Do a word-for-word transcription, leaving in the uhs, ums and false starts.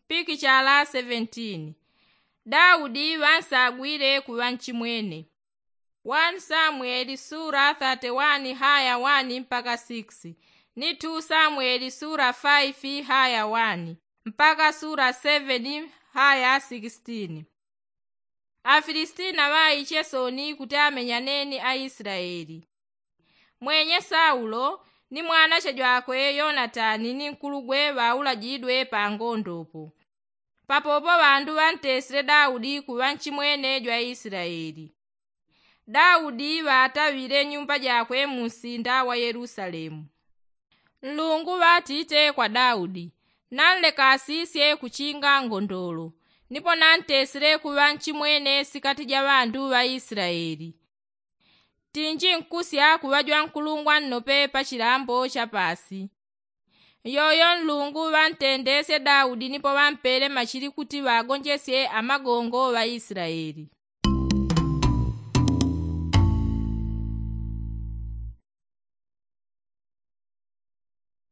Pikichala seventeen. Daudi ŵansagwile kuŵa nchimwene. One samueli sura thirty one haya one mpaka six, ni two samueli sura five haya one mpaka sura seven haya sixteen. Afilistina ŵaiche soni kuti amenyane ni aislaeli. Mwenye saulo ni mwanache jwakwe yonatani ni nkulugwe ŵaulajidwe pa ngondopo. Papopo ŵandu ŵantesile daudi kuŵa nchimwene jwa islaeli. Daudi ŵataŵile nyumba jakwe mu nsinda wa yelusalemu. Nlungu ŵatite kwa daudi, nanlekasisye kuchinga ngondolo, nipo nantesile kuŵa nchimwene sikati ja ŵandu ŵa islaeli. Tinji nkusya kuŵa jwankulungwa nnope pa chilambo cha paasi. Yoyo nlungu ŵantendesye daudi nipo ŵampele machili kuti ŵagonjesye amagongo ŵa islaeli.